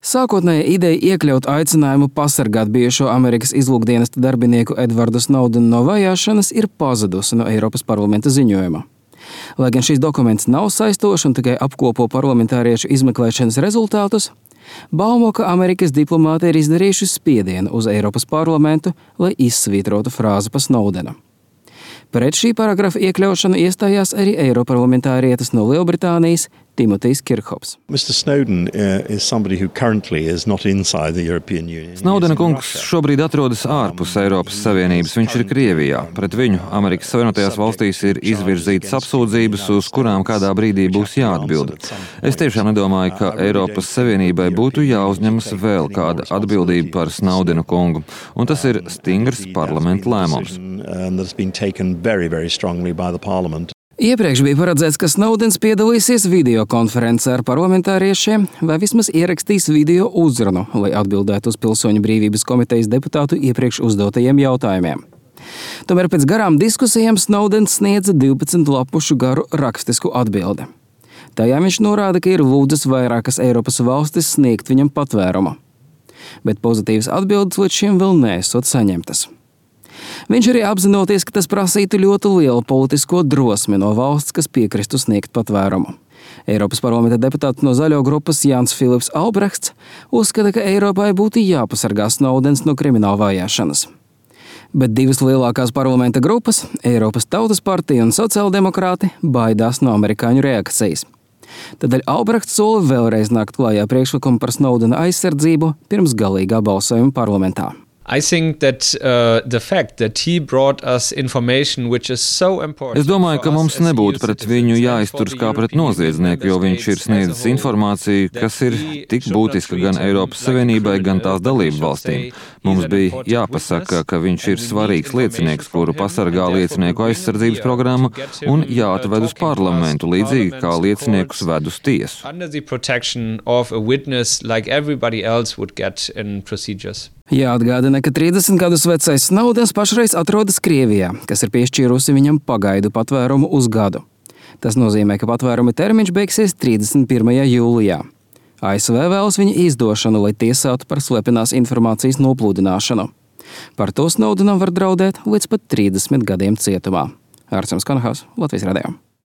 Sākotnēja ideja iekļaut aicinājumu pasargāt bijušo Amerikas izlūkdienesta darbinieku Edvardu Snowdenu no vajāšanas ir pazudusi no Eiropas parlamenta ziņojuma. Lai gan šīs dokuments nav saistošs un tikai apkopo parlamentāriešu izmeklēšanas rezultātus, baumo, ka Amerikas diplomāti ir izdarījuši spiedienu uz Eiropas parlamentu, lai izsvītrotu frāzi pa Snowdenu. Pret šī paragrafa iekļaušanu iestājās arī eiroparlamentārietis no Lielbritānijas Timotejs Kirkhops. Snowdena kungs šobrīd atrodas ārpus Eiropas Savienības. Viņš ir Krievijā. Pret viņu Amerikas Savienotajās valstīs ir izvirzītas apsūdzības, uz kurām kādā brīdī būs jāatbild. Es tiešām nedomāju, ka Eiropas Savienībai būtu jāuzņemas vēl kāda atbildība par Snowdena kungu, un tas ir stingrs parlamenta lēmums. Iepriekš bija paredzēts, ka Snowdens piedalīsies videokonferencē ar parlamentāriešiem vai vismaz ierakstīs video uzrunu, lai atbildētu uz Pilsoņu brīvības komitejas deputātu iepriekš uzdotajiem jautājumiem. Tomēr pēc garām diskusijām Snowdens sniedza 12 lapušu garu rakstisku atbildi. Tajā viņš norāda, ka ir lūdzis vairākas Eiropas valstis sniegt viņam patvērumu. Bet pozitīvas atbildes līdz šim vēl neesot saņemtas. Viņš arī apzinoties, ka tas prasītu ļoti lielu politisko drosmi no valsts, kas piekristu sniegt patvērumu. Eiropas parlamenta deputāts no Zaļo grupas Jānis Filips Albrechts uzskata, ka Eiropai būtu jāpasargā Snowdens no krimināla vajāšanas. Bet divas lielākās parlamenta grupas, Eiropas Tautas partija un sociāldemokrāti, baidās no amerikāņu reakcijas. Tādēļ Albrechts sola vēlreiz nākt klājā priekšlikumu par Snowdena aizsardzību pirms galīgā balsojuma parlamentā. I think that the fact that he brought us information which is so important. Es domāju, ka mums nebūtu pret viņu jāizturas kā pret noziedznieku, jo viņš ir sniedzis informāciju, kas ir tik būtiska gan Eiropas Savienībai, gan tās dalību valstīm. Mums bija jāpasaka, ka viņš ir svarīgs liecinieks, kuru pasargā liecinieku aizsardzības programma, un jāatved uz parlamentu, līdzīgi kā lieciniekus ved uz tiesu. Under the protection of a witness like everybody else would get in procedures. Jāatgādina, ka 30 gadus vecais Snowdens pašreiz atrodas Krievijā, kas ir piešķīrusi viņam pagaidu patvērumu uz gadu. Tas nozīmē, ka patvēruma termiņš beigsies 31. jūlijā. ASV vēlas viņa izdošanu, lai tiesātu par slepenās informācijas noplūdināšanu. Par to Snowdenam var draudēt līdz pat 30 gadiem cietumā. Ārsems Konhaus, Latvijas radio.